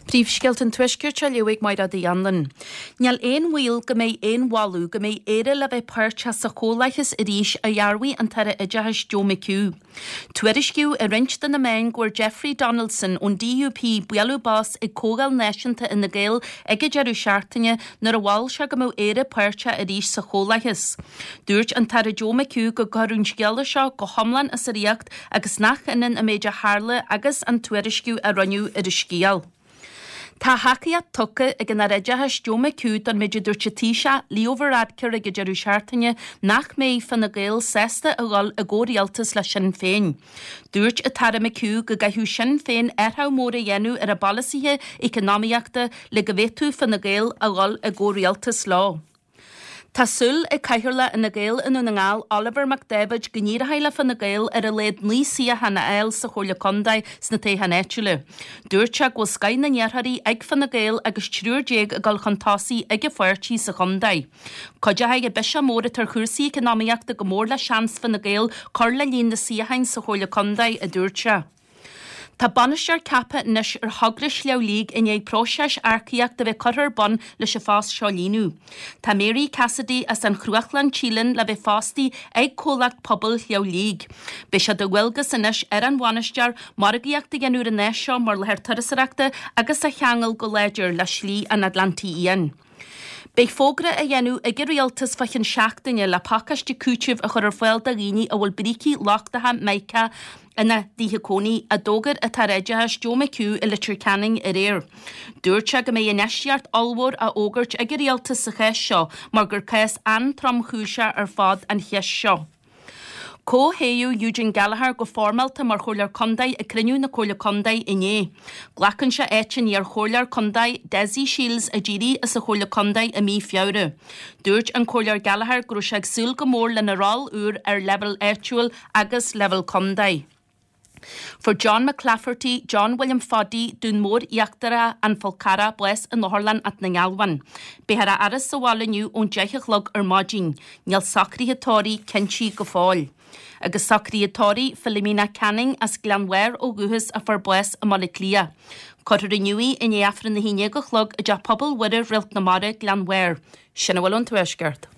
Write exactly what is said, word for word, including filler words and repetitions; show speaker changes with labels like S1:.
S1: Príomhscéalta an Tuaiscirt á léamh ag Máire Uí Anluain. Níl aon bhaol go mbeidh aon mholadh go mbeidh Éire le bheith páirteach sa chomhlathas arís a dhearbhaigh an tAire Oideachais Joe McHugh. Tuairiscíodh i roinnt de na meáin go bhfuair Jeffrey Donaldson ón DUP bualadh bos ag Comhdháil Náisiúnta Fhine Gael ag an deireadh seachtaine nuair a mhol sé go mbeadh Éire páirteach arís sa chomhlathas. Dúirt an tAire Joe McHugh go gcuireadh an scéala seo go hiomlán as a riocht agus nach ionann an méid a tharla agus an tuairisciú a rinneadh ar an scéal. Tá tacaíocht tugtha ag an Aire Oideachais Joe McHugh don méid a dúirt an Taoiseach Leo Varadkar ag an deireadh seachtaine nach mbeidh Fine Gael sásta a dhul i gcomhrialtas le Sinn Féin. Dúirt an tAire McHugh go gcaithfeadh Sinn Féin athrú mór a dhéanamh ar a bpolasaithe eacnamaíochta le go bhféadfadh Fine Gael a dhul i gcomhrialtas leo. Tá súil ag Cathaoirleach Fhine Gael i nDún na nGall Oliver Mac David go n-éireoidh le Fine Gael ar a laghad naoi suíochán a fháil sa Chomhairle Contae sna toghcháin áitiúla. Dúirt sé go bhfuil scoth na n-iarrthóirí ag Fine Gael agus triúr déag ag dul chun tosaigh ag an pháirtí sa chontae. Cuideoidh an biseach mór atá ar chúrsaí eacnamaíochta go mór le seans Fine Gael cur le líon na suíochán sa Chomhairle Contae, a dúirt sé. Tá bainisteoir ceaptha anois ar thogra Shliabh Liag i ndiaidh próiseas earcaíochta a bheith curtha ar bun leis an phost seo a líonadh. Tá Mary Cassidy as an Chruachlainn Tíleann le bheith fostaí ag comhlacht pobail Shliabh Liag. Beidh sé de dhualgas anois ar an bhainisteoir margaíocht a dhéanamh ar an áis seo mar láthair turasóireachta agus a cheangal go láidir le Slí an Atlantaigh Fhiáin. Beidh fógra á dhéanamh ag an rialtas fá cheann seachtaine le pacáiste cúitimh a chur ar fáil do dhaoine a bhfuil brící lochtacha mica ina dtithe cónaí, a d'fhógair an tAire Oideachais Joe McHugh i Leitir Ceanainn aréir. Dúirt sé go mbeidh infheistíocht ollmhór á fhógairt ag an rialtas sa chás seo mar gur cás an-tromchúiseach ar fad an cheist seo. Comhthoghadh Eugene Gallagher go foirmeálta mar Chomhairleoir Contae ag cruinniú na Comhairle Contae inné. Glacann sé áit an iar-chomhairleoir contae Dessie Shiels a d'éirigh as an Chomhairle Contae i mí Feabhra. Dúirt an Comhairleoir Gallagher go raibh sé ag súil go mór lena ról úr ar leibhéal áitiúil agus leibhéal contae. Fuair John McClafferty, John William Phaddy, Dún Mór Íochtarach, An Fál Carrach, bás in Otharlann Áth na nGealbhán. Beifear á fhaire sa bhaile inniu ón deich a chlog ar maidin. Níl socruithe tórraimh cinntithe go fóill. Agus socruithe tórraimh Philomena Canning as Gleann Bhairr ó dhúchas a fuair bás i mBaile Átha Cliath. Cuirfear inniu í i ndiaidh Aifreann a haon déag a chlog i dTeach Pobail Mhuire Réalt na Mara, Gleann Bhairr. Sin a bhfuil ón Tuaisceart.